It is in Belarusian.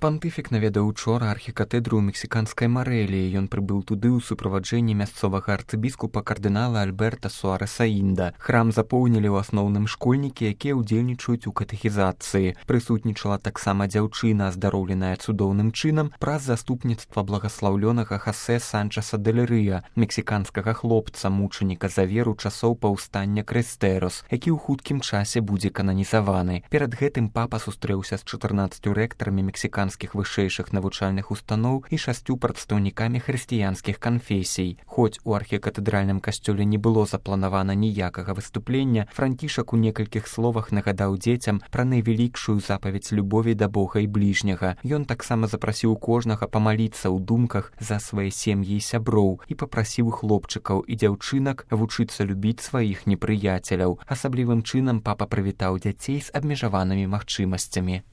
Пантыфік наведаў учора архікатэдру ў мексіканскай Марэліі. Ён прыбыў туды ў суправаджэнні мясцовага арцыбіскупа кардынала Альберта Суарэса Інда. Храм запоўнілі ў асноўным школьнікі, якія ўдзельнічаюць у катэхізацыі. Прысутнічала таксама дзяўчына, аздароўленая цудоўным чынам праз заступніцтва благаслаўлёнага Хосе Санчеса дель Рыа, мексіканскага хлопца, мучаніка за веру часоў паўстання Крэстэрос, які ў хуткім часе будзе кананізаваны. Перад гэтым папа сустрэўся з 14 рэктарамі мексіканскіх вышэйшых навучальных устаноў і 6 прадстаўнікамі хрысціянскіх канфесій. Хоць у архікатэдральным касцёле не было запланавана ніякага выступлення, Францішак у некалькіх словах нагадаў дзецям пра найвялікшую запаведь любові да Бога і бліжняга. Ён таксама запрасіў кожнага памаліцца ў думках за свае сем'і і сяброў і папрасіў хлопчыкаў і дзяўчынак вучыцца любіць сваіх непрыяцеляў. Асаблівым чынам папа прывітаў дзяцей з абмежаванымі магчымасцямі.